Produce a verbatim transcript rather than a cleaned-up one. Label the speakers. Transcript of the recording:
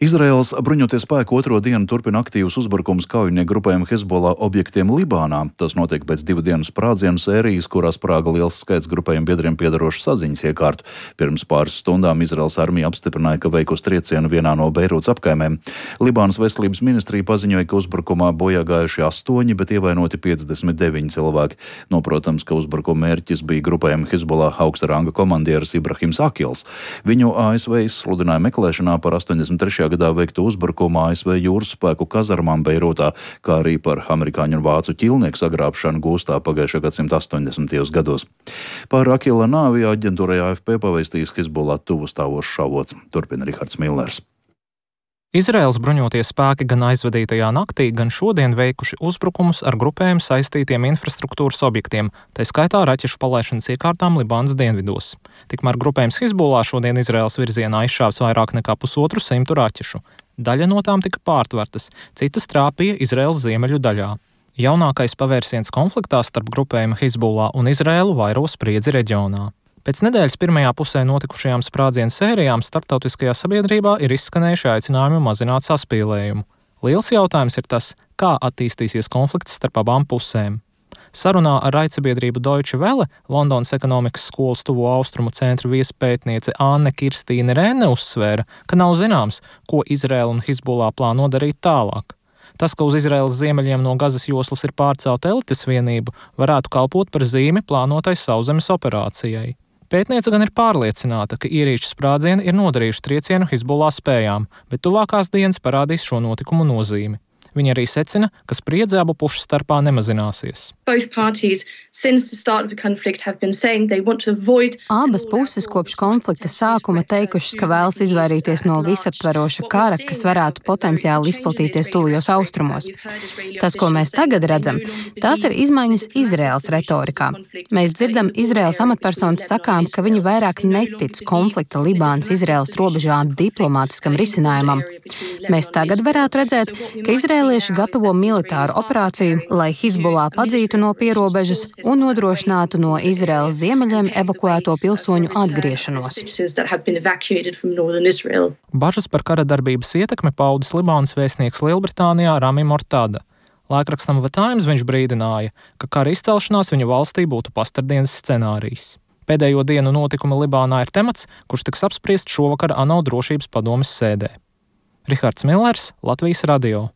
Speaker 1: Izraēlas bruņotie spēki otro dienu turpina aktīvus uzbrukumus kaujinieku grupējuma Hezbollah objektiem Libānā. Tas notiek pēc divu dienu sprādzienu sērijas, kurā sprāga liels skaits grupējuma biedriem piedarošu saziņas iekārtu. Pirms pāris stundām Izraēlas armija apstiprināja, ka veikusi triecienu vienā no Beirūtas apkaimēm. Libānas veselības ministrija paziņoja, ka uzbrukumā bojā gājuši astoņi, bet ievainoti piecdesmit deviņi cilvēki. Noprotams, ka uzbrukuma mērķis bija grupējuma Hezbollah augsta ranga komandieris Ibrahims Akils. Viņu A S V izsludināja meklēšanā par astoņdesmit trešajā gadā veiktu uzbrukumu A S V jūras spēku kazarmām Beirūtā, kā arī par amerikāņu un vācu ķilnieku sagrābšanu gūstā pagājušā gadsimta astoņdesmitajos gados. Par Akila nāvi aģentūrai A F P pavēstījis Hezbollah tuvu stāvošs avots. Turpina Rihards Millers.
Speaker 2: Izraēlas bruņotie spēki gan aizvadītajā naktī, gan šodien veikuši uzbrukumus ar grupējumu saistītiem infrastruktūras objektiem, tā skaitā raķešu palaišanas iekārtām Libānas dienvidos. Tikmēr grupējums Hezbollah šodien Izraēlas virzienā izšāvis vairāk nekā pusotru simtu raķešu. Daļa no tām tika pārtvertas, citas trāpīja Izraēlas ziemeļu daļā. Jaunākais pavērsiens konfliktā starp grupējumu Hezbollah un Izraēlu vairo spriedzi reģionā. Pēc nedēļas pirmajā pusē notikušajām sprādzienu sērijām starptautiskajā sabiedrībā ir izskanējuši aicinājumi mazināt saspīlējumu. Liels jautājums ir tas, kā attīstīsies konflikts starp abām pusēm. Sarunā ar raidsabiedrību Deutsche Welle Londonas ekonomikas skolas tuvo austrumu centra viespētniece Anne Kirstīne Rēne uzsvēra, ka nav zināms, ko Izraēla un Hezbollah plāno darīt tālāk. Tas, ka uz Izraēlas ziemeļiem no Gazas joslas ir pārcelta elites vienība, varētu kalpot par zīmi plānotai sauszemes operācijai. Pētniece gan ir pārliecināta, ka ierīču sprādzieni ir nodarījuši triecienu Hezbollah spējām, bet tuvākās dienas parādīs šo notikumu nozīmi. Viņa arī secina, ka spriedze abu pušu starpā nemazināsies.
Speaker 3: Abas puses kopš konflikta sākuma teikušas, ka vēlas izvairīties no visaptveroša kara, kas varētu potenciāli izplatīties tuvajos austrumos. Tas, ko mēs tagad redzam, tās ir izmaiņas Izraēlas retorikā. Mēs dzirdam Izraēlas amatpersonas sakām, ka viņi vairāk netic konflikta Libānas-Izraēlas robežā diplomātiskam risinājumam. Mēs tagad varētu redzēt, ka Izraēlieši gatavo militāru operāciju, lai Hezbollah padzītu no pierobežas un nodrošinātu no Izraēlas ziemeļiem evakuēto pilsoņu atgriešanos.
Speaker 2: Bažas par kara darbības ietekmi paudis Libānas vēstnieks Lielbritānijā Rami Mortada. Laikrakstam The Times viņš brīdināja, ka kara izcelšanās viņa valstī būtu pastardienas scenārijs. Pēdējo dienu notikumi Libānā ir temats, kurš tiks apspriests šovakar ANO drošības padomes sēdē. Rihards Millers, Latvijas radio.